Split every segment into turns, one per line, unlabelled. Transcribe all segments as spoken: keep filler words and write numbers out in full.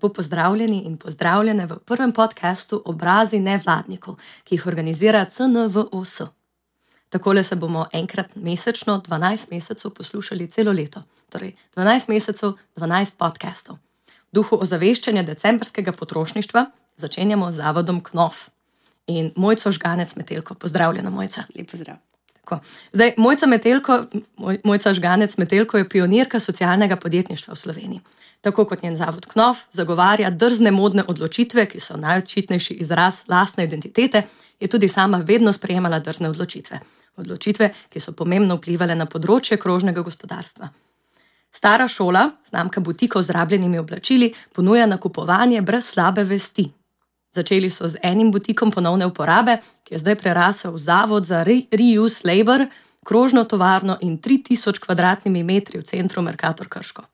Lepo pozdravljeni in pozdravljene v prvem podcastu Obrazi nevladnikov, ki jih organizira C N V O S. Takole se bomo enkrat mesečno, dvanajst mesecev poslušali celo leto. Torej, dvanajst mesecev, dvanajst podcastov. V duhu ozaveščanja decembrskega potrošništva začenjamo z zavodom K N O F. In Mojco Žganec Metelko. Pozdravljena, Mojca.
Lep pozdrav.
Tako. Zdaj, Mojca Metelko, Moj, Mojca Žganec Metelko je pionirka socialnega podjetništva v Sloveniji. Tako kot njen zavod K N O F zagovarja drzne modne odločitve, ki so najočitnejši izraz lastne identitete, je tudi sama vedno sprejemala drzne odločitve. Odločitve, ki so pomembno vplivale na področje krožnega gospodarstva. Stara šola, znamka butikov z rabljenimi oblačili, ponuja nakupovanje brez slabe vesti. Začeli so z enim butikom ponovne uporabe, ki je zdaj prerasel v zavod za reuse labor, krožno tovarno in tri tisoč kvadratnimi metri v centru Mercator Krško.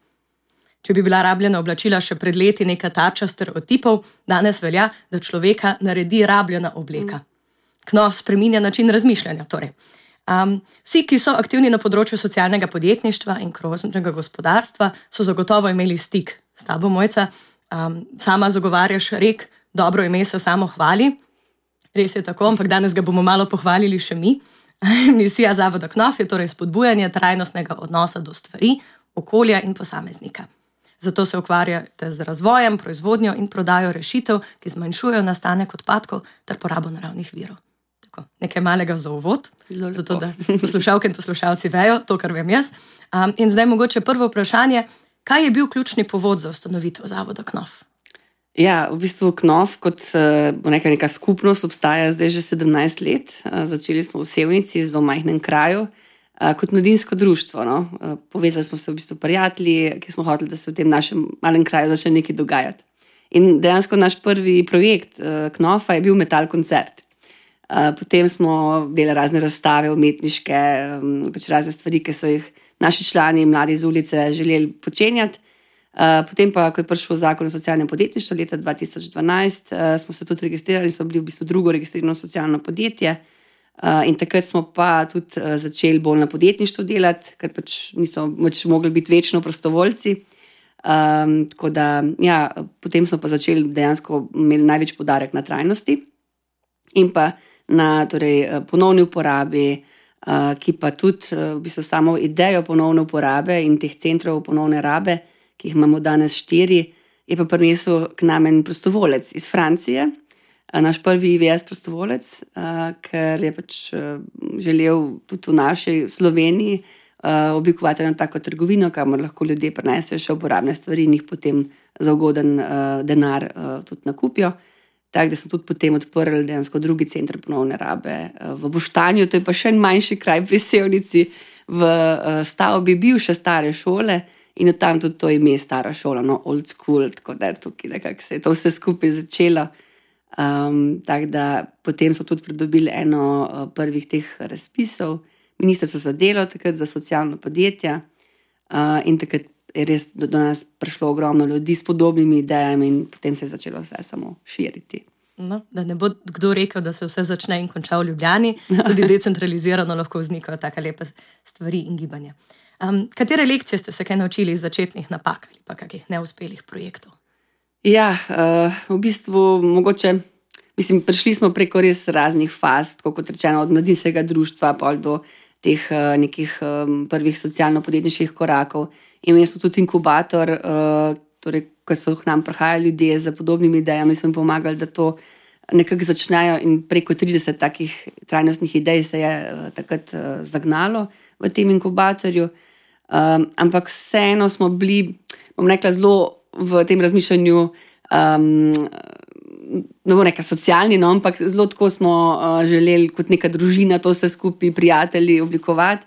Če bi bila rabljena oblačila še pred leti neka tarča stereotipov, danes velja, da človeka naredi rabljena obleka. K N O F spreminja način razmišljanja. Torej. Um, vsi, ki so aktivni na področju socialnega podjetništva in krožnega gospodarstva, so zagotovo imeli stik s tabo, Mojca. Um, sama zagovarjaš rek, dobro ime se samo hvali. Res je tako, ampak danes ga bomo malo pohvalili še mi. Misija zavoda K N O F je torej spodbujanje trajnostnega odnosa do stvari, okolja in posameznika. Zato se ukvarjate z razvojem, proizvodnjo in prodajo rešitev, ki zmanjšujejo nastanek odpadkov ter porabo naravnih virov. Tako, nekaj malega za uvod, zato da poslušalke in poslušalci vejo to, kar vem jaz. Um, in zdaj mogoče prvo vprašanje, kaj je bil ključni povod za ustanovitev zavoda K N O F?
Ja, v bistvu K N O F kot bo neka, neka skupnost obstaja zdaj že sedemnajst let. Začeli smo v Sevnici, v majhnem kraju, kot mladinsko društvo. No. Povezali smo se v bistvu prijatelji, ki smo hoteli, da se v tem našem malem kraju začne nekaj dogajati. In dejansko naš prvi projekt K N O F-a je bil metal koncert. Potem smo delali razne razstave umetniške, pač razne stvari, ki so jih naši člani, mladi iz ulice, želeli počenjati. Potem pa, ko je prišel zakon o socialnem podjetništvu leta dva tisoč dvanajst, smo se tudi registrirali in smo bili v bistvu drugo registrirano socialno podjetje. In takrat smo pa tudi začeli bolj na podjetništvu delati, ker pač niso pač mogli biti večno prostovoljci. Um, tako da, ja, potem smo pa začeli dejansko imeli največ poudarek na trajnosti in pa na torej, ponovni uporabi, uh, ki pa tudi uh, v bistvu samo idejo ponovne uporabe in teh centrov ponovne rabe, ki jih imamo danes štiri, je pa prinesel k nam en prostovolec iz Francije, uh, naš prvi I V S prostovolec, uh, ker je pač uh, želel tudi v naši Sloveniji uh, oblikovati eno tako trgovino, kamor lahko ljudje prinesejo še uporabne stvari in jih potem za ugoden uh, denar uh, tudi nakupijo. Tako da smo tudi potem odprli dejansko drugi center ponovne rabe v Boštanju, to je pa še en manjši kraj pri Sevnici, v stavbi bivše stare šole in od tam tudi to ime stara šola, no, old school, tako da tukaj nekako se je to vse skupaj začelo. Um, tako da potem so tudi pridobili eno prvih teh razpisov, Ministrstvo za delo, takrat za socialno podjetja uh, in takrat je res do, do nas prišlo ogromno ljudi s podobnimi idejami in potem se je začelo vse samo širiti.
No, da ne bo kdo rekel, da se vse začne in konča v Ljubljani, tudi decentralizirano lahko vznikajo take lepe stvari in gibanja. Um, katere lekcije ste se kaj naučili iz začetnih napak ali pa kakih neuspelih projektov?
Ja, uh, v bistvu mogoče, mislim, prišli smo preko res raznih faz, tako kot rečeno, od mladinskega društva pa do teh uh, nekih um, prvih socialno-podjetniških korakov. Imeli smo tudi inkubator, uh, torej, ko so k nam prihajali ljudje z podobnimi idejami, smo jim pomagali, da to nekako začnejo in preko trideset takih trajnostnih idej se je uh, takrat uh, zagnalo v tem inkubatorju. Um, ampak vseeno smo bili, bom rekla, zelo v tem razmišljanju, um, ne bo neka socialni, no, ampak zelo tako smo uh, želeli kot neka družina to vse skupaj, prijatelji oblikovati.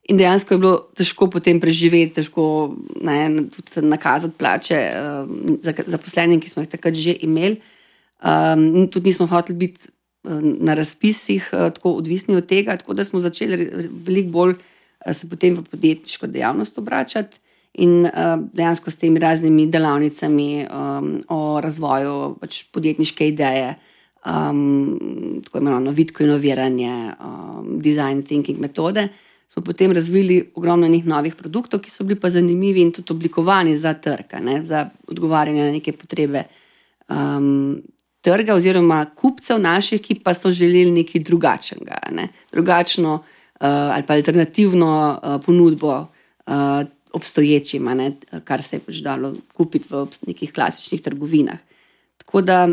In dejansko je bilo težko potem preživeti, težko ne, tudi nakazati plače um, za zaposlenim, ki smo jih takrat že imeli. Um, tudi nismo hoteli biti uh, na razpisih uh, tako odvisni od tega, tako da smo začeli veliko bolj uh, se potem v podjetniško dejavnost obračati in uh, dejansko s temi raznimi delavnicami um, o razvoju pač podjetniške ideje, um, tako imenovano vitko inoviranje, um, design thinking metode, smo potem razvili ogromno njih novih produktov, ki so bili pa zanimivi in tudi oblikovani za trg, ne, za odgovarjanje na neke potrebe um, trga oziroma kupcev naših, ki pa so želeli nekaj drugačnega, ne, drugačno uh, ali pa alternativno uh, ponudbo uh, obstoječima, ne, kar se je pač dalo kupiti v nekih klasičnih trgovinah. Tako da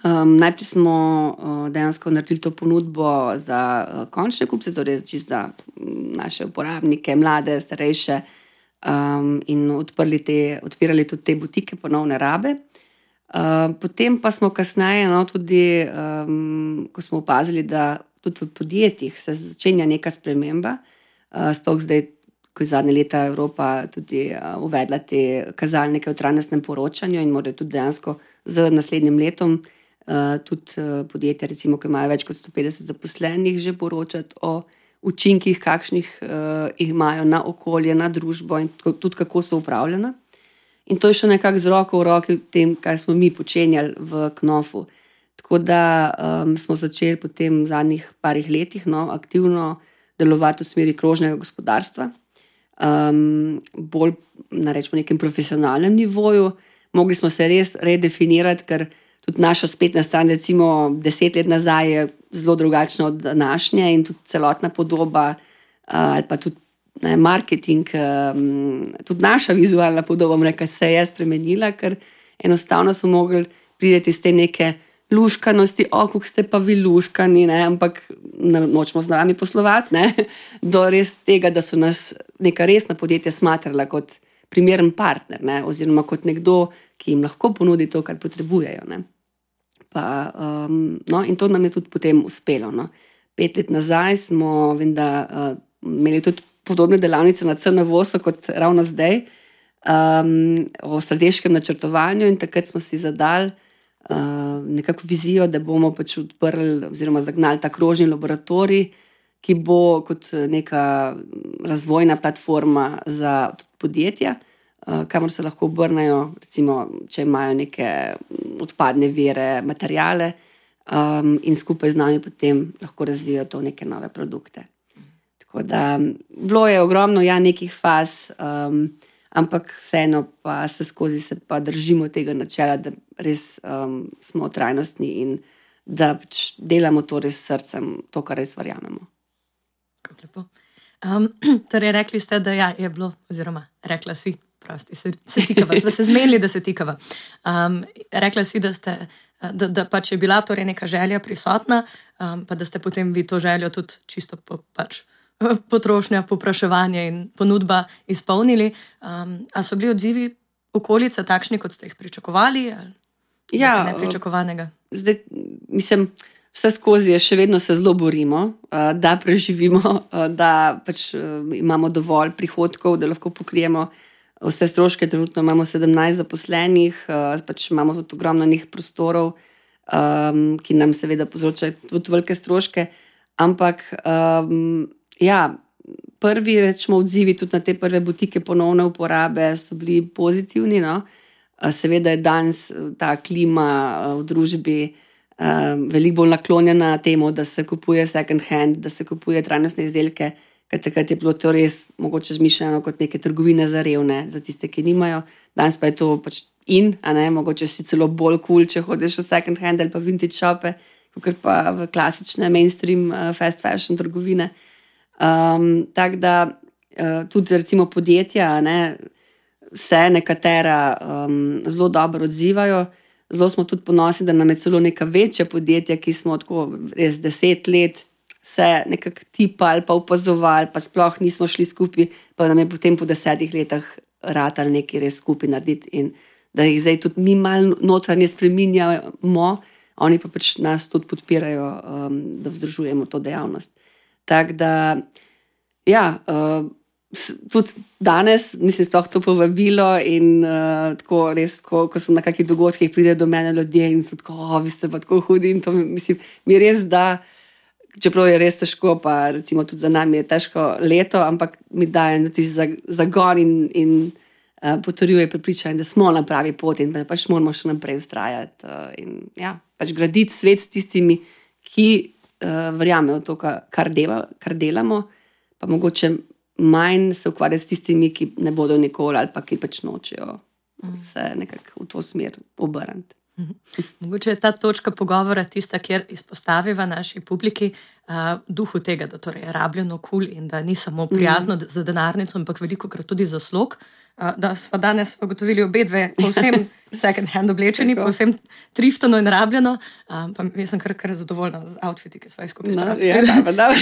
Um, najprej smo uh, dejansko naredili to ponudbo za uh, končne kupce, torej za um, naše uporabnike, mlade, starejše, um, in odprli te, odpirali tudi te butike ponovne rabe. Uh, potem pa smo kasneje, no, tudi, um, ko smo opazili, da tudi v podjetjih se začenja neka sprememba, uh, sploh zdaj, ko je zadnje leta Evropa tudi uh, uvedla te kazalnike o trajnostnem poročanju in morajo tudi dejansko z naslednjim letom Uh, tudi uh, podjetja, recimo, ki imajo več kot sto petdeset zaposlenih, že poročati o učinkih, kakšnih uh, jih imajo na okolje, na družbo in tudi kako so upravljena. In to je še nekako z roko v roki tem, kaj smo mi počenjali v Knofu. Tako da um, smo začeli potem v zadnjih parih letih, no, aktivno delovati v smeri krožnega gospodarstva, um, bolj na rečemo nekem profesionalnem nivoju. Mogli smo se res redefinirati, ker tudi naša spletna stran, recimo deset let nazaj, je zelo drugačna od današnje in tudi celotna podoba ali pa tudi ne, marketing, tudi naša vizualna podoba, reka, se je spremenila, ker enostavno smo mogli priti iz te neke luškanosti, o, kako ste pa vi luškani, ne, ampak nočemo z nami poslovati, ne, do res tega, da so nas neka resna podjetja smatrala kot primeren partner, ne, oziroma kot nekdo, ki jim lahko ponudi to, kar potrebujejo. Ne. Pa, um, no, in to nam je tudi potem uspelo. No. Pet let nazaj smo vem, da, uh, imeli tudi podobne delavnice na C N V O S-u kot ravno zdaj, um, o strateškem načrtovanju, in takrat smo si zadali uh, nekako vizijo, da bomo pač odprli oziroma zagnali ta krožni laboratorij, ki bo kot neka razvojna platforma za podjetja, kamor se lahko obrnejo, recimo, če imajo neke odpadne vire, materijale, um, in skupaj z nami potem lahko razvijajo to neke nove produkte. Tako da bilo je ogromno ja, nekih faz, um, ampak vseeno pa se skozi se pa držimo tega načela, da res um, smo trajnostni in da pač delamo to res s srcem, to, kar res verjamemo.
Kako lepo. Um, torej, rekli ste, da ja, je bilo, oziroma rekla si, prosti, se, se tikava, smo se zmenili, da se tikava. Um, rekla si, da, ste, da, da pač je bila torej neka želja prisotna, um, pa da ste potem vi to željo tudi čisto po, pač, potrošnja, popraševanje in ponudba izpolnili. Um, a so bili odzivi okolice takšni, kot ste jih pričakovali? Ali ja, nepričakovanega?
Zdaj, mislim, vse skozi je še vedno se zelo borimo, da preživimo, da pač imamo dovolj prihodkov, da lahko pokrijemo vse stroške. Trenutno imamo sedemnajst zaposlenih, pač imamo tudi ogromno njih prostorov, ki nam seveda povzročajo tudi velike stroške, ampak um, ja, prvi rečemo odzivi tudi na te prve butike ponovne uporabe so bili pozitivni, no. Seveda je danes ta klima v družbi um, veliko bolj naklonjena temu, da se kupuje second hand, da se kupuje trajnostne izdelke, ker takrat je bilo to res mogoče zmišljeno kot neke trgovine za revne, za tiste, ki nimajo. Danes pa je to pač in, a ne, mogoče si celo bolj cool, če hodiš v second hand ali pa vintage shope, kakor pa v klasične mainstream uh, fast fashion trgovine. Um, tako da uh, tudi recimo podjetja, ne, se nekatera um, zelo dobro odzivajo. Zelo smo tudi ponosni, da nam je celo neka večja podjetja, ki smo tako res deset let se nekako tipali pa opazovali, pa sploh nismo šli skupaj, pa nam je potem po desetih letah ratali nekaj res skupaj narediti in da jih zdaj tudi mi malo notranje spreminjamo, oni pa pač nas tudi podpirajo, um, da vzdržujemo to dejavnost. Tako da, ja, uh, tudi danes, mislim, sploh to povabilo in uh, tako res, ko, ko so na kakih dogodkih, pridejo do mene ljudje in so tako, o, vi ste pa tako hudi in to mislim, mi res da, čeprav je res težko, pa recimo tudi za nami je težko leto, ampak mi daje tudi zagon in, in uh, potrjuje prepričanje, da smo na pravi poti in da pač moramo še naprej vztrajati uh, in ja, pač graditi svet s tistimi, ki uh, verjamejo v to, kar, deva, kar delamo, pa mogoče manj se ukvarjati s tistimi, ki ne bodo nikoli ali pa ki pač nočejo se nekako v to smer obrniti.
Mogoče je ta točka pogovora tista, kjer izpostaviva naši publiki uh, duhu tega, da torej je rabljeno kul cool in da ni samo prijazno mm. za denarnico, ampak veliko krat tudi za slog. Uh, da smo danes ugotovili obe dve povsem second hand oblečeni, povsem triftano in rabljeno. Uh, pa jaz sem kar, kar zadovoljna z outfiti, ki smo jih skupaj spravili.
No, ja, da, da.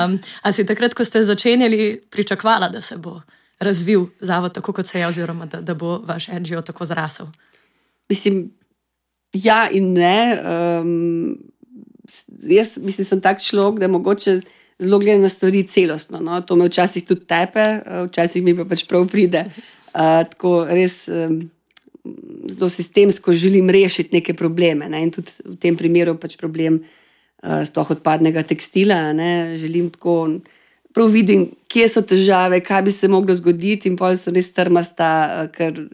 um, a si takrat, ko ste začenjali, pričakvala, da se bo razvil zavod tako, kot se je, oziroma da, da bo vaš en dži o tako zrasel?
Mislim, ja in ne. Um, jaz mislim, sem tak človek, da mogoče zelo gledam na stvari celostno. No? To me včasih tudi tepe, včasih mi pa pač prav pride. Uh, tako res um, zelo sistemsko želim rešiti neke probleme. Ne? In tudi v tem primeru pač problem uh, sploh odpadnega tekstila. Ne? Želim tako, prav vidim, kje so težave, kaj bi se moglo zgoditi in potem sem res trmasta, uh, ker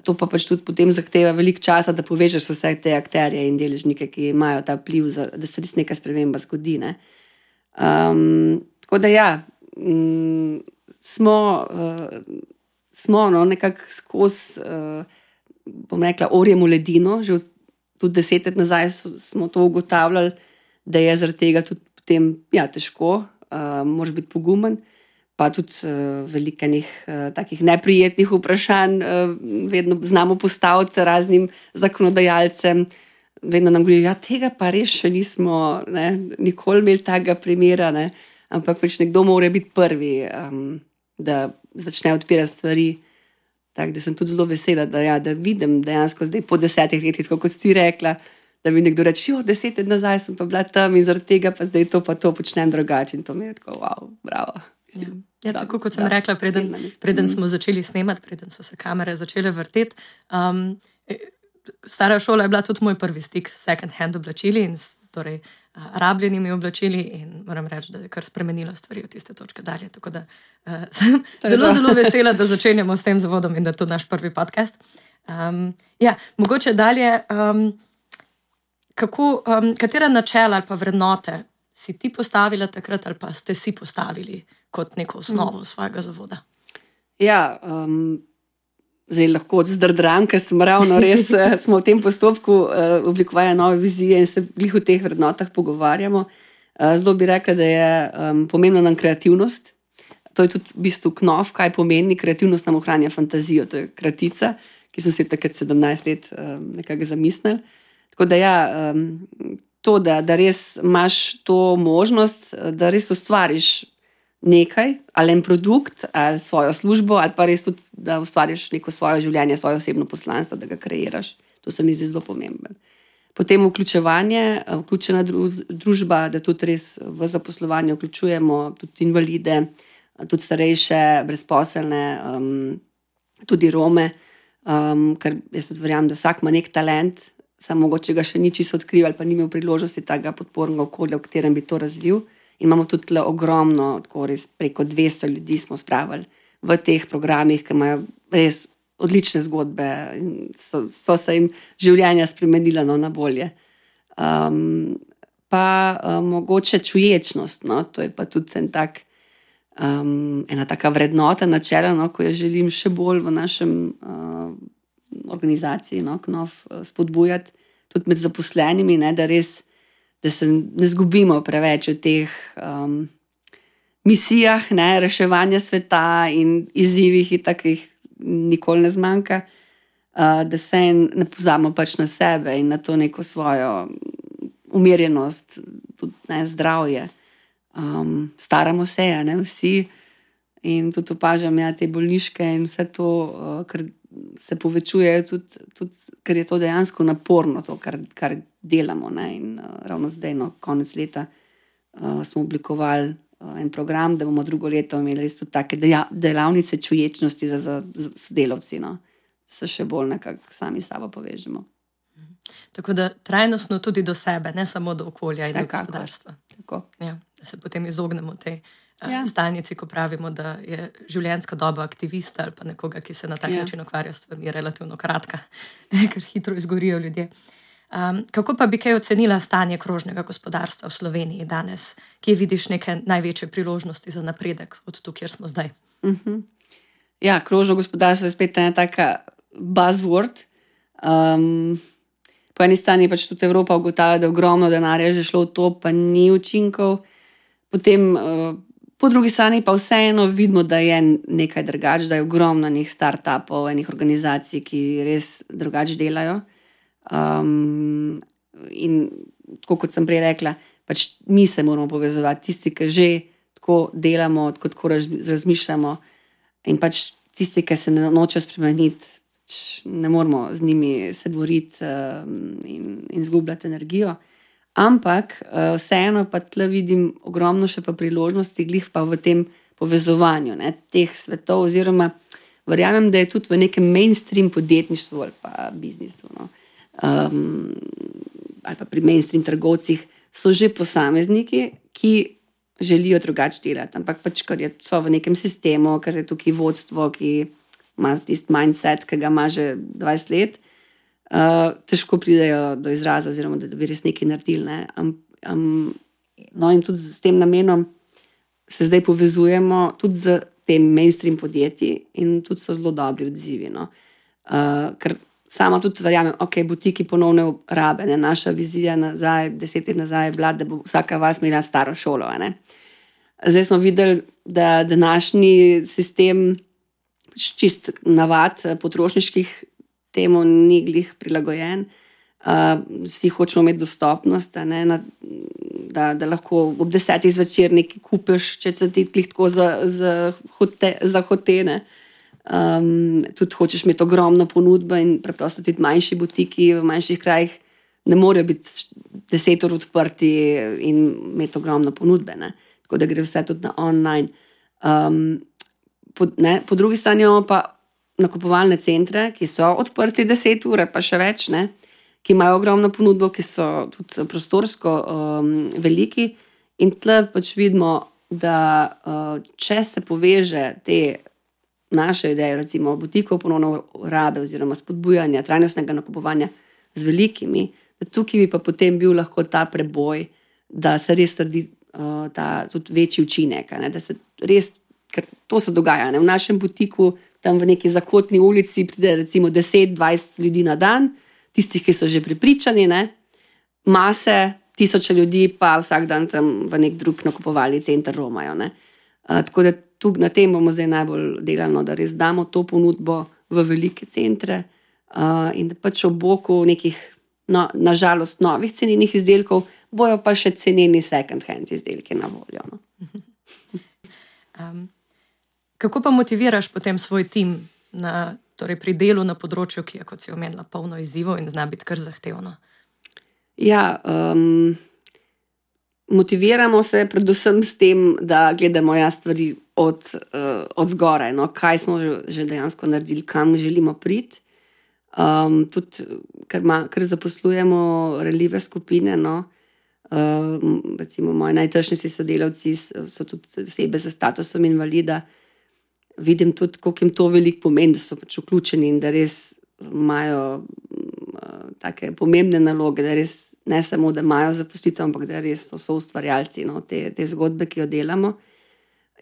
to pa pač tudi potem zahteva veliko časa, da povežeš vse te akterje in deležnike, ki imajo ta vpliv, za, da se res neka sprememba zgodi. Ne? Um, tako da ja, um, smo, uh, smo no, nekako skozi, uh, bom rekla, orjemo ledino, že tudi deset let nazaj smo to ugotavljali, da je zaradi tega tudi potem ja, težko, uh, moraš biti pogumen. Pa tudi uh, veliko enih uh, takih neprijetnih vprašanj uh, vedno znamo postaviti raznim zakonodajalcem. Vedno nam govorijo, ja, tega pa res še nismo ne, nikoli imeli takega primera, ne, ampak pač nekdo mora biti prvi, um, da začne odpirati stvari. Tako da sem tudi zelo vesela, da, ja, da vidim dejansko zdaj po desetih letih, kot si rekla, da mi nekdo reče, jo, deset let nazaj sem pa bila tam in zaradi tega pa zdaj to pa to počnem drugače in to mi je tako, wow, bravo.
Ja, ja, tako kot sem da, rekla, preden, preden smo začeli snemati, preden so se kamere začele vrteti. Um, stara šola je bila tudi moj prvi stik s second hand oblačili in s torej, uh, rabljenimi oblačili in moram reči, da je kar spremenilo stvari od tiste točke dalje. Tako da uh, sem zelo, zelo vesela, da začenjamo s tem zavodom in da je to naš prvi podcast. Um, ja, mogoče dalje, um, kako, um, katera načela ali pa vrednote si ti postavila takrat ali pa ste si postavili kot neko osnovo mm. svojega zavoda?
Ja, um, zdaj lahko zdrdram, ker smo ravno res smo v tem postopku uh, oblikovanja nove vizije in se glih v teh vrednotah pogovarjamo. Uh, zelo bi rekla, da je um, pomembna nam kreativnost. To je tudi v bistvu knov, kaj pomeni. Kreativnost nam ohranja fantazijo. To je kratica, ki smo si takrat sedemnajst let um, nekako zamislili. Tako da ja, um, to, da, da res imaš to možnost, da res ustvariš nekaj, ali en produkt, ali svojo službo, ali pa res tudi, da ustvariš neko svoje življenje, svoje osebno poslanstvo, da ga kreiraš. To se mi zdi zelo pomembno. Potem vključevanje, vključena družba, da tudi res v zaposlovanje vključujemo tudi invalide, tudi starejše, brezposelne, um, tudi Rome, um, ker jaz tudi verjamem, da vsak ima nek talent, samo mogoče ga še ni čisto odkril ali pa ni imel priložnosti tega podpornega okolja, v katerem bi to razvil. In imamo tudi tle ogromno, tako res preko dvesto ljudi smo spravili v teh programih, ki imajo res odlične zgodbe in so, so se jim življenja spremenila no, na bolje. Um, pa um, mogoče čuječnost, no, to je pa tudi en tak, um, ena taka vrednota, načela, no, ko jo želim še bolj v našem uh, organizaciji, no, knov spodbujati, tudi med zaposlenimi, ne, da res, da se ne zgubimo preveč v teh um, misijah, ne, reševanja sveta in izzivih in takih nikoli ne zmanjka, uh, da se ne pozabimo pač na sebe in na to neko svojo umirjenost, tudi ne, zdravje. Um, staramo se, ne, vsi in tudi opažam ja, te bolniške in vse to, uh, kar se povečuje, tudi, tudi, ker je to dejansko naporno, to, kar, kar delamo. Ne? In uh, ravno zdaj, no, konec leta, uh, smo oblikovali uh, en program, da bomo drugo leto imeli res tudi take deja, delavnice čuječnosti za, za, za sodelavci, no? Se še bolj nekako sami sabo povežemo.
Tako da trajnostno tudi do sebe, ne samo do okolja in do gospodarstva.
Tako.
Ja, da se potem izognemo tej
Ja.
stalnici, ko pravimo, da je življenjska doba aktivista ali pa nekoga, ki se na tak
ja.
način ukvarja s stvarmi, relativno kratka, ker hitro izgorijo ljudje. Um, kako pa bi kaj ocenila stanje krožnega gospodarstva v Sloveniji danes, kje vidiš neke največje priložnosti za napredek od tu, kjer smo zdaj?
Uh-huh. Ja, krožno gospodarstvo je spet ena taka buzzword. Um, po eni strani pač tudi Evropa ugotavlja, da je ogromno denarja že šlo v to, pa ni učinkov. Potem uh, po drugi strani pa vseeno vidimo, da je nekaj drugače, da je ogromno enih startupov, enih organizacij, ki res drugače delajo. Um, in tako kot sem prej rekla, pač mi se moramo povezovati, tisti, ki že tako delamo, tako razmišljamo, in pač tisti, ki se ne noče spremeniti, pač ne moramo z njimi se boriti um, in, in zgubljati energijo. Ampak uh, vseeno pa tle vidim ogromno še pa priložnosti, glih pa v tem povezovanju, ne, teh svetov, oziroma verjamem, da je tudi v nekem mainstream podjetništvu ali pa biznisu, no. Um, ali pa pri mainstream trgovcih so že posamezniki, ki želijo drugače delati, ampak pač, ker je so v nekem sistemu, ker je tukaj vodstvo, ki ima tisti mindset, ki ga ima že dvajset let, uh, težko pridejo do izraza, oziroma da, da bi res nekaj naredili, ne. Um, um, no in tudi s tem namenom se zdaj povezujemo tudi z tem mainstream podjetji in tudi so zelo dobri odzivi, no. Uh, ker sama tudi verjamem, ok, butiki ponovne rabe, ne? Naša vizija nazaj, deset let nazaj je bila, da bo vsaka vas imela staro šolo. Ne? Zdaj smo videli, da današnji sistem, čist navad potrošniških temu ni glih prilagojen. Uh, vsi hočemo imeti dostopnost, ne? Na, da, da lahko ob desetih zvečer nekaj kupiš, če se ti glih tako za, za, hote, za hotene. Um, tudi hočeš imeti ogromno ponudbo in preprosto tudi manjši butiki v manjših krajih ne morejo biti deset ur odprti in imeti ogromno ponudbe, ne? Tako da gre vse tudi na online. Um, po, ne? Po drugi strani imamo pa nakupovalne centre, ki so odprti deset ur pa še več, ne? Ki imajo ogromno ponudbo, ki so tudi prostorsko um, veliki, in tle pač vidimo, da uh, če se poveže te naše ideje, recimo butikov ponovno rabe oziroma spodbujanja trajnostnega nakupovanja z velikimi, da tukaj bi pa potem bil lahko ta preboj, da se res trdi uh, ta tudi večji učinek, ne? Da se res, ker to se dogaja, ne? V našem butiku, tam v neki zakotni ulici pride recimo deset dvajset ljudi na dan, tistih, ki so že prepričani, ne? Mase, tisoče ljudi pa vsak dan tam v nek drug nakupovalni center romajo, ne? Uh, tako da tukaj na tem bomo zdaj najbolj delali, da res damo to ponudbo v velike centre uh, in da pač ob boku nekih, no, nažalost, novih cenenih izdelkov bojo pa še ceneni second hand izdelki na voljo. No.
um, kako pa motiviraš potem svoj tim na, torej pri delu na področju, ki je, kot si omenila, polno izzivov in zna biti kar zahtevno?
Ja, um, motiviramo se predvsem s tem, da gledamo ja stvari od, uh, od zgoraj, no, kaj smo že, že dejansko naredili, kam želimo priti. Um, tudi, ker, ma, ker zaposlujemo ranljive skupine, no, uh, recimo moji najtržnejši sodelavci so tudi osebe s statusom invalida, vidim tudi, koliko jim to veliko pomeni, da so pač vključeni in da res imajo uh, take pomembne naloge, da res ne samo, da imajo zaposlitev, ampak da res so, so ustvarjalci, no, te, te zgodbe, ki jo delamo.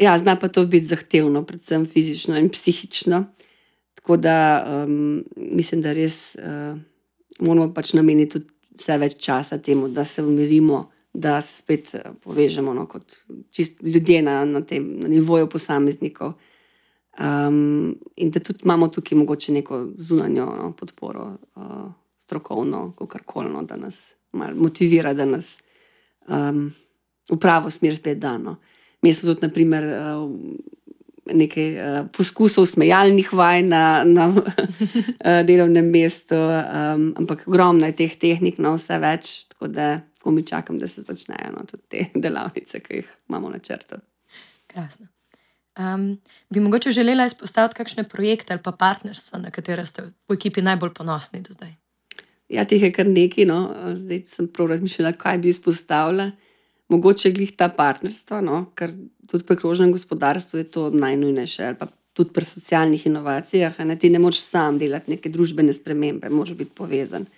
Ja, zna pa to biti zahtevno, predvsem fizično in psihično. Tako da um, mislim, da res uh, moramo pač nameniti tudi vse več časa temu, da se umirimo, da se spet povežemo, no, kot čist ljudje na, na tem na nivoju posameznikov. Um, in da tudi imamo tukaj mogoče neko zunanjo, no, podporo, uh, strokovno, kakorkoli, no, da nas malo motivira, da nas um, v pravo smer spet da, no. Mi smo tudi, na primer, nekaj poskusov smejalnih vaj na, na delovnem mestu, um, ampak ogromno je teh tehnik, no, vse več, tako da tako mi čakam, da se začnejo, no, tudi te delavnice, ki jih imamo na črtu.
Krasno. Um, bi mogoče želela izpostaviti kakšne projekte ali pa partnerstva, na katere ste v ekipi najbolj ponosni do zdaj?
Ja, teh je kar nekaj, no. Zdaj sem prav razmišljala, kaj bi izpostavila. Mogoče glih ta partnerstva, no, ker tudi pri krožnem gospodarstvu je to najnujnejše, ali pa tudi pri socialnih inovacijah, ne, ti ne moreš sam delati neke družbene spremembe, moraš biti povezan.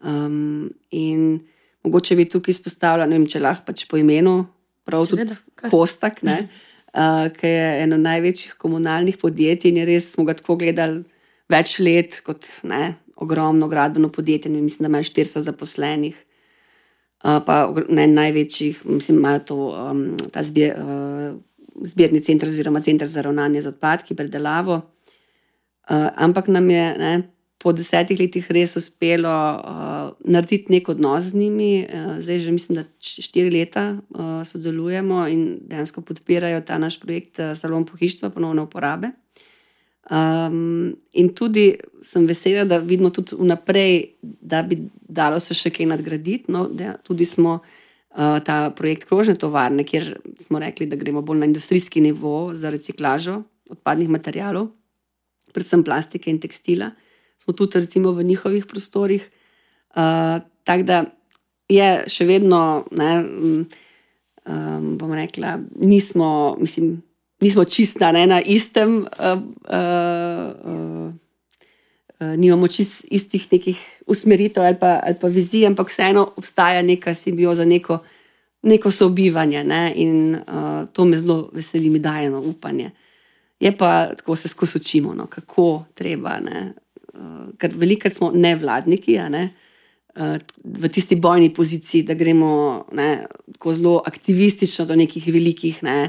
Um, in mogoče bi tukaj izpostavila, ne vem, če lahko pač po imenu, prav
Seveda,
tudi
kar.
Kostak, ne, uh, ki je eno največjih komunalnih podjetij in je res, smo ga tako gledali več let kot ne, ogromno gradbeno podjetje, ne, mislim, da imajo štiristo zaposlenih, uh, pa ne največjih, mislim, imajo to, um, ta zbir, uh, zbirni center oziroma center za ravnanje z odpadki, predelavo, uh, ampak nam je, ne, po desetih letih res uspelo uh, narediti nek odnos z njimi. Uh, zdaj že mislim, da štiri leta uh, sodelujemo in dejansko podpirajo ta naš projekt uh, Salon pohištva ponovne uporabe. Um, in tudi sem vesela, da vidimo tudi vnaprej, da bi dalo se še kaj nadgraditi. No, da tudi smo uh, ta projekt krožne tovarne, kjer smo rekli, da gremo bolj na industrijski nivo za reciklažo odpadnih materialov, predvsem plastike in tekstila. Smo tudi recimo v njihovih prostorih. Uh, tako da je še vedno, ne, um, bom rekla, nismo, mislim, nismo čista ne, na istem, uh, uh, uh, uh, nimamo čist istih nekih usmeritev ali pa, ali pa vizij, ampak vseeno obstaja neka simbioza, neko, neko sobivanje, ne, in uh, to me zelo veseli, mi daje no, upanje. Je pa tako se skozi učimo, no, kako treba, ne, Uh, ker velikrat smo nevladniki, a ne, uh, v tisti bojni poziciji, da gremo ne, tako zelo aktivistično do nekih velikih, ne,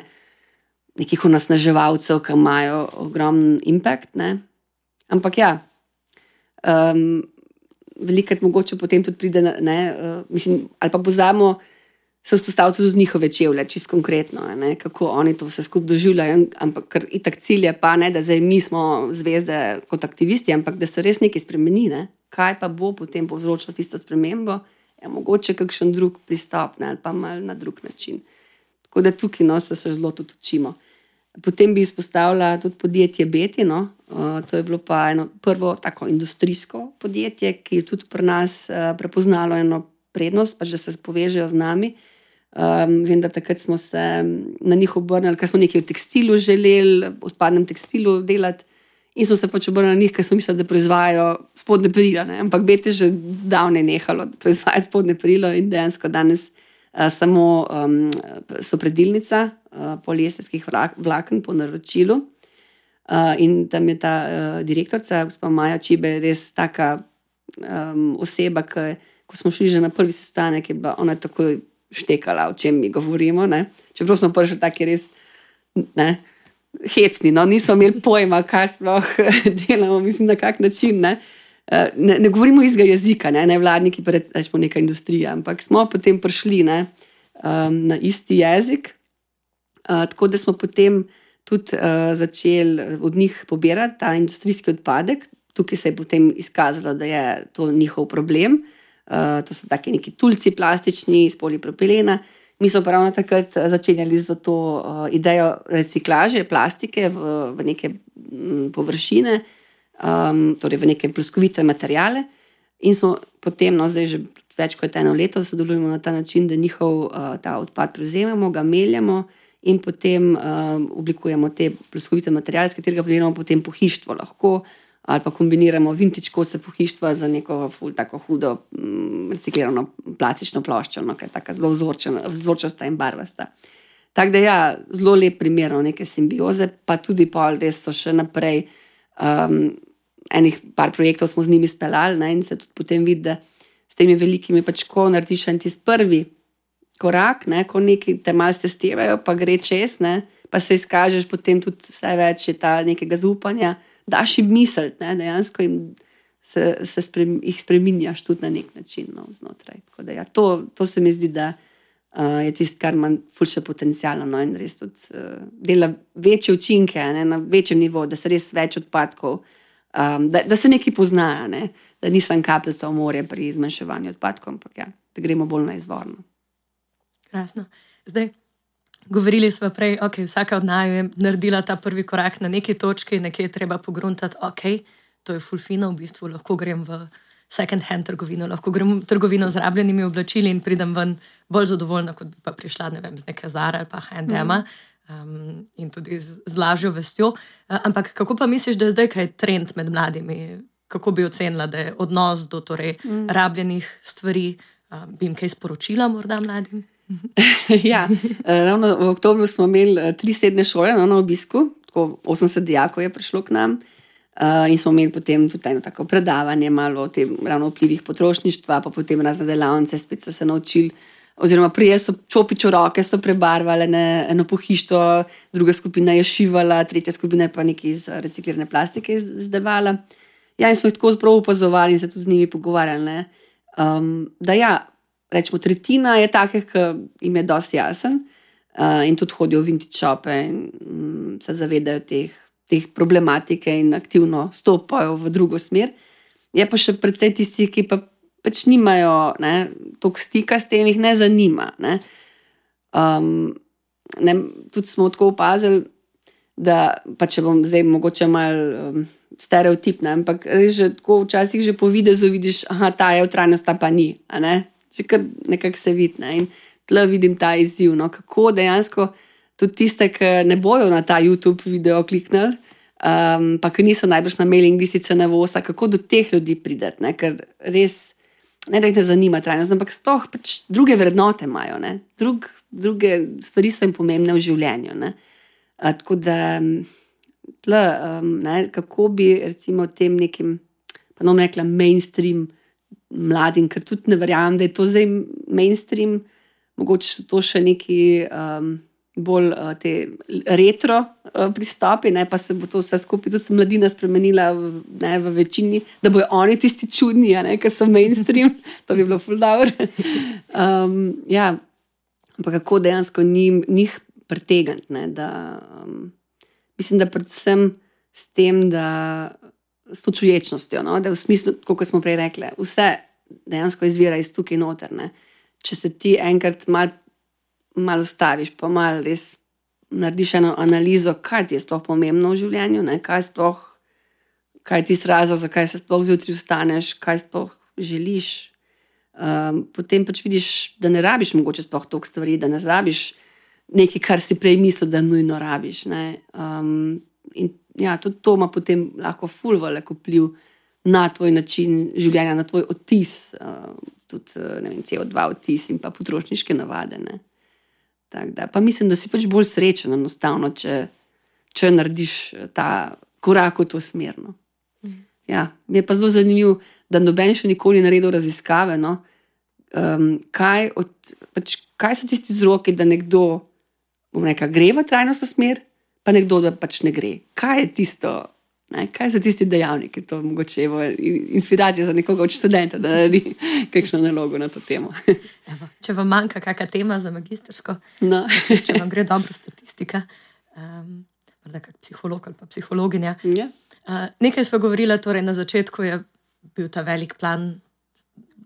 nekih onasnaževalcev, ki imajo ogromen impact. Ne. Ampak ja, um, velikrat mogoče potem tudi pride, ne, uh, mislim, ali pa pozamo se vzpostaviti tudi njihove čevlje, čisto konkretno, ne, kako oni to vse skupaj doživljajo, ampak ker itak cilj je pa, ne, da zdaj mi smo zvezde kot aktivisti, ampak da se res nekaj spremeni, ne, kaj pa bo potem povzročilo tisto spremembo, je mogoče kakšen drug pristop, ne, ali pa malo na drug način. Tako da tukaj no, se, se zelo tudi učimo. Potem bi izpostavila tudi podjetje Beti, no, uh, to je bilo pa eno prvo tako industrijsko podjetje, ki je tudi pri nas uh, prepoznalo eno prednost, pa že se povežejo z nami. Um, vem, da takrat smo se na njih obrnili, ker smo nekaj v tekstilu želeli, odpadnem tekstilu delati in smo se pač obrnili na njih, ker smo mislili, da proizvajajo spodnje perilo, ne? Ampak Beti že zdavnaj nehalo proizvajati spodnje perilo in dejansko danes uh, samo um, so predilnica uh, poliesterskih vlaken po naročilu uh, in tam je ta uh, direktorica, gospa Maja Čibe, res taka um, oseba, ki, ko smo šli že na prvi sestanek, je bila ona takoj štekala, o čem mi govorimo, ne. Čeprav smo prišli taki res, ne, hecni, no, nismo imeli pojma, kaj sploh delamo, mislim, na kak način, ne. Ne, ne govorimo istega jezika, ne, ne vladniki, pa rečemo neka industrija, ampak smo potem prišli, ne, um, na isti jezik, uh, tako da smo potem tudi uh, začeli od njih pobirati ta industrijski odpadek. Tukaj se je potem izkazalo, da je to njihov problem. Uh, to so taki neki tulci plastični iz polipropilena. Mi smo ravno takrat začenjali za to uh, idejo reciklaže plastike v, v neke m, površine, um, torej v neke ploskovite materijale in smo potem, no zdaj že več kot eno leto sodelujemo na ta način, da njihov uh, ta odpad prevzememo, ga meljamo in potem uh, oblikujemo te ploskovite materijale, s katerega pridelamo potem pohištvo lahko, ali pa kombiniramo vintage kose pohištva za neko ful tako hudo m, reciklirano plastično ploščo, no, ki je taka zelo vzorčasta in barvasta. Tako da ja, zelo lep primer neke simbioze, pa tudi pol res so še naprej um, enih par projektov smo z njimi speljali, ne, in se tudi potem vidi, da s temi velikimi pač ko narediš en tisti prvi korak, ne, ko neki te malo testirajo, pa gre čez, ne, pa se izkažeš potem tudi vse več je ta nekega zaupanja, daš jim misliti, ne, dejansko jim se, se sprem, jih spreminjaš tudi na nek način, no, znotraj. Tako da ja, to, to se mi zdi, da uh, je tisto, kar ima ful še potencialno, no, in res tudi uh, dela večje učinke, ne, na večjem nivoju, da se res več odpadkov, um, da, da se nekaj pozna, ne, da nisem kapljica v morje pri zmanjševanju odpadkov, ampak ja, da gremo bolj na izvorno.
Krasno. Zdaj, govorili smo prej, ok, vsaka od naju je naredila ta prvi korak na neki točki, nekje je treba pogruntati, ok, to je ful fino, v bistvu lahko grem v second hand trgovino, lahko grem v trgovino z rabljenimi oblačili in pridem ven bolj zadovoljna, kot bi pa prišla, ne vem, z neke Zara ali pa H and M um, in tudi z, z lažjo vestjo. Uh, ampak kako pa misliš, da je zdaj kaj trend med mladimi? kako bi ocenila, da je odnos do torej, mm. rabljenih stvari, uh, bi jim kaj sporočila morda mladim?
Ja, ravno v oktobru smo imeli tri sedne šole no, na obisku, tako osemdeset dijakov je prišlo k nam uh, in smo imeli potem tudi eno tako predavanje malo o tem ravno vplivih potrošništva, pa potem razne delavnice, spet so se naučili, oziroma prije so čopič v roke, so prebarvali ne, eno pohištvo, druga skupina je šivala, tretja skupina je pa nekaj iz reciklirane plastike izdelovala. Ja, in smo jih tako zelo opazovali in se tudi z njimi pogovarjali. Um, da ja, rečemo, tretjina je takih, ki jim je dosti jasen uh, in tudi hodijo v vintage shope in um, se zavedajo teh, teh problematike in aktivno stopajo v drugo smer. Je pa še precej tistih, ki pa pač nimajo toliko stika s tem, jih ne zanima. Ne. Um, ne, tudi smo tako opazili, da pa če bom zdaj mogoče malo um, stereotipna, ampak res že tako včasih že po videzu vidiš, aha, ta je v trajnost, ta pa ni, a ne? Že kar nekako se vidi, ne? In tle vidim ta izziv, no? Kako dejansko tudi tiste, ki ne bojo na ta YouTube video kliknili, um, pa ki niso najbrž na mailing listice na vosa, kako do teh ljudi prideti, ne? Ker res ne da jih ne zanima trajnost, ampak sploh pač druge vrednote imajo, ne? Drug, druge stvari so jim pomembne v življenju, ne? A, tako da tle, um, ne, kako bi recimo tem nekim, pa ne bom rekla mainstream mladim, ker tudi ne verjamem, da je to zdaj mainstream, mogoče so to še neki um, bolj uh, te retro uh, pristopi, ne, pa se bo to vse skupaj tudi mladina spremenila v, ne, v večini, da bojo oni tisti čudni, ne, ker so mainstream, to bi bilo ful dobro. um, ja, pa kako dejansko njim, njih pretegant, ne, da um, mislim, da predvsem s tem, da s to čuječnostjo, no, da v smislu, kot smo prej rekli, vse dejansko izvira iz tukaj noter, ne. Če se ti enkrat mal, mal ustaviš, pa mal res narediš eno analizo, kaj ti je sploh pomembno v življenju, ne, kaj sploh, kaj ti je razlog, zakaj se sploh zjutraj vstaneš, kaj sploh želiš, um, potem pač vidiš, da ne rabiš mogoče sploh toliko stvari, da ne rabiš nekaj, kar si prej mislil, da nujno rabiš. Ne? Um, in ja, tudi to ima potem lahko ful velik vpliv na tvoj način življenja, na tvoj odtis, uh, tudi ne vem, C O dva odtis in pa potrošniške navade. Ne? Tak da, pa mislim, da si pač bolj srečen enostavno, če, če narediš ta korak v to smerno. Mm. Ja, mi je pa zelo zanimivo, da noben še nikoli naredil raziskave, no? um, kaj, od, pač, kaj so tisti vzroki, da nekdo Neka, gre v trajnostno smer, pa nekdo da pač ne gre. Kaj je tisto, ne? Kaj so tisti dejavniki, to mogoče je inspiracija za nekoga od študenta, da naredi kakšno nalogo na to temo.
Evo, če vam manjka kakšna tema za magistersko,
no.
če, če vam gre dobro statistika, um, morda kak psiholog ali pa psihologinja.
Ja.
Uh, nekaj sva govorila, torej na začetku je bil ta velik plan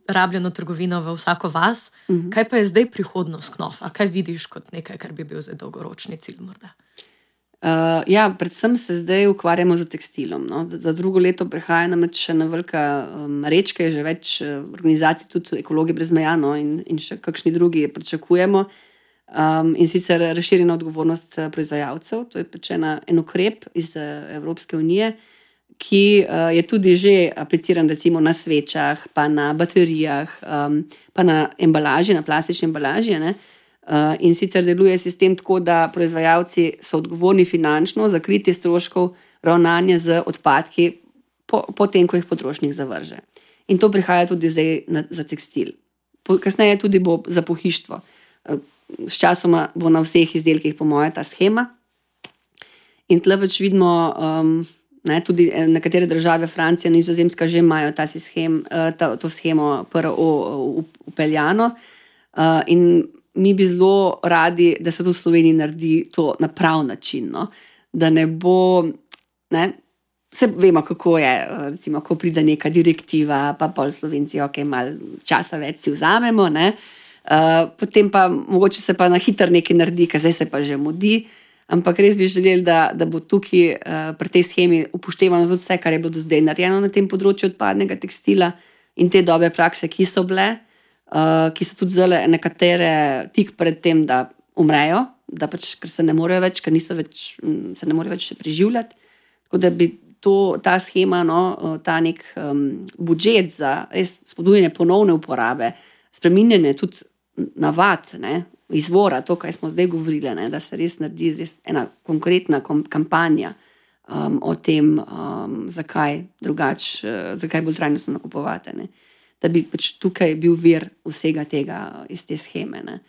rabljeno trgovino v vsako vas. Uh-huh. Kaj pa je zdaj prihodnost Knofa? Kaj vidiš kot nekaj, kar bi bil zdaj dolgoročni cilj morda?
Uh, ja, predvsem se zdaj ukvarjamo z tekstilom. No? Za drugo leto prihaja namreč še ena velika um, rečka, je že več uh, organizacij, tudi Ekologi brez meja, no? in, in še kakšni drugi pričakujemo. Um, in sicer razširjena odgovornost proizvajalcev, to je pač ena, en ukrep iz uh, Evropske unije, ki uh, je tudi že apliciran recimo na svečah, pa na baterijah, um, pa na embalaži, na plastični embalaži. Ne? Uh, in sicer deluje sistem tako, da proizvajalci so odgovorni finančno za kritje stroškov ravnanja z odpadki po, po tem, ko jih potrošnik zavrže. In to prihaja tudi zdaj na, za tekstil. Po, kasneje tudi bo za pohištvo. Uh, s časoma bo na vseh izdelkih po moje ta schema. In tle več vidimo um, Ne, tudi nekatere države, Francija, Nizozemska, že imajo ta schem, ta, to schemo P R O upeljano. Uh, in mi bi zelo radi, da se to v Sloveniji naredi to na prav način. No? Da ne bo, ne, vse vemo, kako je, recimo, ko pride neka direktiva, pa pol Slovenci, ok, malo časa več si vzamemo, ne? Uh, potem pa mogoče se pa na hitro nekaj naredi, ker zdaj se pa že mudi. Ampak res bi želeli, da, da bo tukaj uh, pri tej schemi upoštevano tudi vse, kar je bilo do zdaj narejeno na tem področju odpadnega tekstila in te dobre prakse, ki so bile, uh, ki so tudi zelo nekatere tik pred tem, da umrejo, da pač, ker se ne morejo več, ker niso več, se ne morejo več preživljati. Tako da bi to, ta shema, no, ta nek um, budžet za res spodbujanje ponovne uporabe, spreminjanje tudi navad, ne, izvora, to, kaj smo zdaj govorili, ne, da se res naredi res ena konkretna kom, kampanja um, o tem, um, zakaj drugače, uh, zakaj bolj trajnostno nakupovati, ne, da bi pač tukaj bil vir vsega tega iz te sheme. Ne.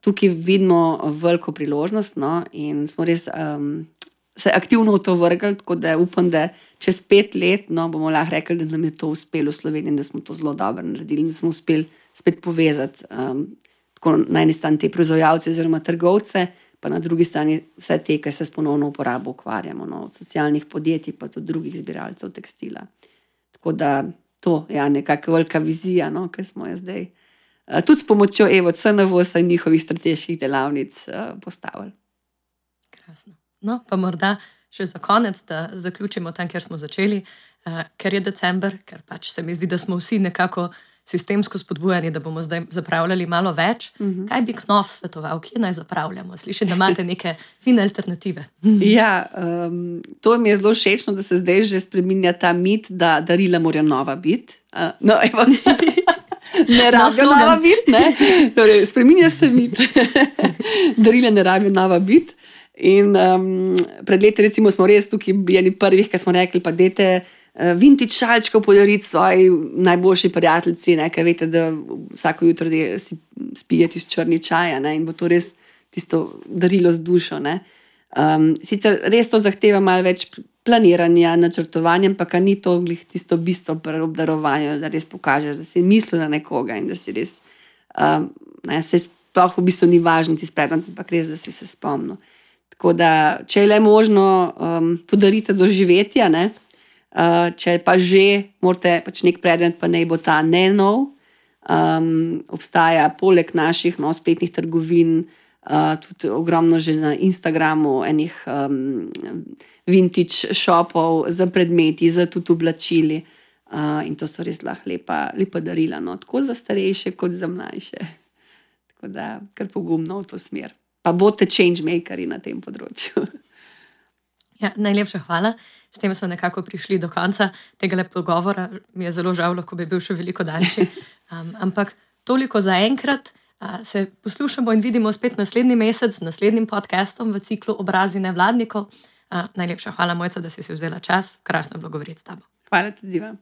Tukaj vidimo veliko priložnost, no, in smo res um, se aktivno v to vrgli, tako da upam, da čez pet let no, bomo lahko rekli, da nam je to uspelo v Sloveniji in da smo to zelo dobro naredili in da smo uspeli spet povezati um, tako na eni strani te proizvajalce oziroma trgovce, pa na drugi strani vse te, ki se s ponovno uporabo ukvarjamo, no, od socialnih podjetij pa tudi drugih zbiralcev tekstila. Tako da to je ja, nekakva velika vizija, no, ki smo jo zdaj uh, tudi s pomočjo Evo C N V S in njihovih strateških delavnic uh, postavili.
Krasno. No, pa morda še za konec, da zaključimo tam, kjer smo začeli, uh, ker je december, ker pač se mi zdi, da smo vsi nekako sistemsko spodbujani, da bomo zdaj zapravljali malo več. Uh-huh. Kaj bi Knof svetoval, kje naj zapravljamo? Slišim, da imate neke fine alternative.
Ja, um, to mi je zelo všečno, da se zdaj že spreminja ta mit, da darila morajo nova biti. Uh, no, evo. Ne rabijo no, nova biti, ne? Torej, spreminja se mit. Darila ne rabijo nova biti. In um, pred leti recimo smo res tukaj bili prvih, ki smo rekli, pa dajte uh, vintage šalčkov podariti svoji najboljši prijateljici, ne, ker veste, da vsako jutro de, si spijete iz črni čaja, ne, in bo to res tisto darilo z dušo. Ne. Um, sicer res to zahteva malo več planiranja, načrtovanja, ampak ni to glih tisto bistvo pri obdarovanju, da res pokažeš, da si mislil na nekoga in da si res, um, ne, se sploh v bistvu ni važno ti sprednat, ampak res, da si se spomnil. Tako da, če je le možno, um, podarite doživetja, ne? Uh, če pa že morate pač nek predmet, pa naj bo ta ne nov. Um, obstaja poleg naših no, spletnih trgovin, uh, tudi ogromno že na Instagramu enih um, vintage shopov za predmeti, za tudi oblačili. Uh, in to so res lahko lepa, lepa darila, no? Tako za starejše, kot za mlajše. Tako da, kar pogumno v to smer. Pa boste changemakeri na tem področju.
Ja, najlepša hvala. S tem smo nekako prišli do konca tega pogovora. Mi je zelo žal, lahko bi bil še veliko daljši. Um, ampak toliko za enkrat. Uh, se poslušamo in vidimo spet naslednji mesec z naslednjim podcastom v ciklu Obrazi nevladnikov. Uh, najlepša hvala, Mojca, da si si vzela čas. Krasno je bilo govoriti s tabo.
Hvala tudi vam.